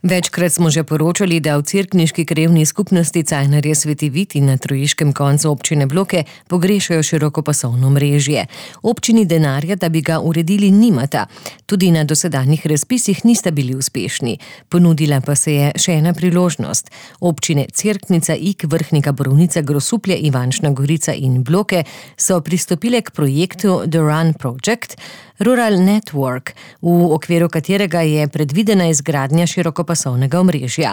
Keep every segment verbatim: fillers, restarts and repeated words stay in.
Večkrat smo že poročali, da v cerkniški krajevni skupnosti Cajnarje Sveti Vid in na trojiškem koncu občine Bloke pogrešajo širokopasovno omrežje. Občini denarja, da bi ga uredili, nimata. Tudi na dosedanjih razpisih nista bili uspešni. Ponudila pa se je še ena priložnost. Občine Cerknica, Ig, Vrhnika, Borovnica, Grosuplje, Ivančna Gorica in Bloke so pristopile k projektu The Run Project, Rural Network, v okviru katerega je predvidena izgradnja širokopasovnega omrežja.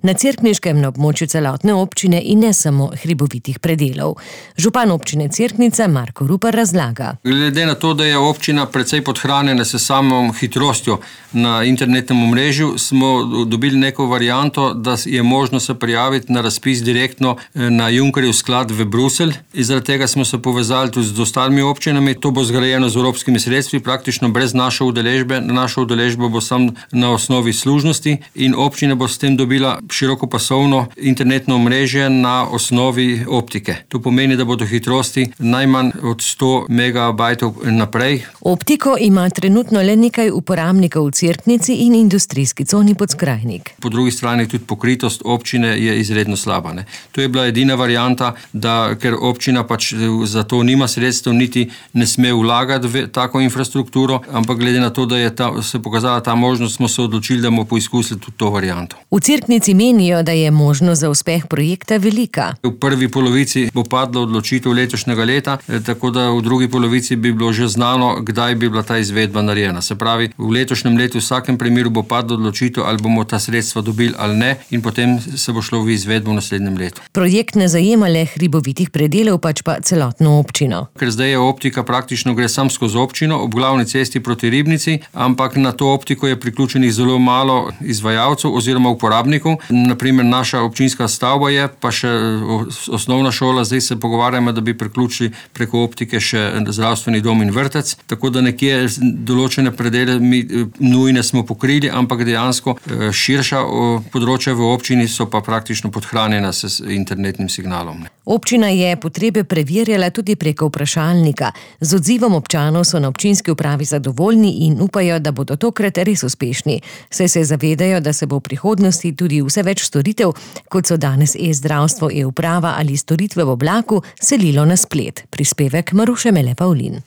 Na cerkniškem na območju celotne občine in ne samo hribovitih predelov. Župan občine Cerknica Marko Rupar razlaga. Glede na to, da je občina precej podhranjena s samo hitrostjo na internetnem omrežju, smo dobili neko varianto, da je možno se prijaviti na razpis direktno na Junckerjev sklad v Bruselj. In zaradi tega smo se povezali tudi z ostalimi občinami. To bo zgrajeno z evropskimi sredstvi, praktično brez naše udeležbe. Naša udeležba bo samo na osnovi služnosti in občina bo s tem dobila širokopasovno internetno omrežje na osnovi optike. To pomeni, da bodo hitrosti najmanj od sto megabajtov naprej. Optiko ima trenutno le nekaj uporabnikov v Cerknici in industrijski coni Podskrajnik. Po drugi strani tudi pokritost občine je izredno slaba. Ne. To je bila edina varianta, da ker občina pač za to nima sredstev, niti ne sme vlagati v tako infrastrukturo, ampak glede na to, da je ta, se pokazala ta možnost, smo se odločili, da bomo poizkusili tudi to varianto. V Cerknici menijo, da je možnost za uspeh projekta velika. V prvi polovici bo padla odločitev letošnjega leta, tako da v drugi polovici bi bilo že znano, kdaj bi bila ta izvedba narejena. Se pravi, v letošnjem letu v vsakem primeru bo padla odločitev, ali bomo ta sredstva dobili ali ne, in potem se bo šlo v izvedbo v naslednjem letu. Projekt ne zajema le hribovitih predelov, pač pa celotno občino. Ker zdaj je optika praktično gre sam skozi občino, ob glavni cesti proti Ribnici, ampak na to optiko je priključenih zelo malo izvajalcev oziroma uporabnikov. Naprimer, naša občinska stavba je, pa še osnovna šola, zdaj se pogovarjamo, da bi priključili preko optike še zdravstveni dom in vrtec, tako da nekje določene predele mi nujne smo pokrili, ampak dejansko širša področja v občini so pa praktično podhranjena s internetnim signalom. Občina je potrebe preverjala tudi preko vprašalnika. Z odzivom občanov so na občinski upravi zadovoljni in upajo, da bodo tokrat res uspešni. Saj se zavedajo, da se bo v prihodnosti tudi vse več storitev, kot so danes e-zdravstvo, e-uprava ali storitve v oblaku, selilo na splet. Prispevek Maruše Mele Pavlin.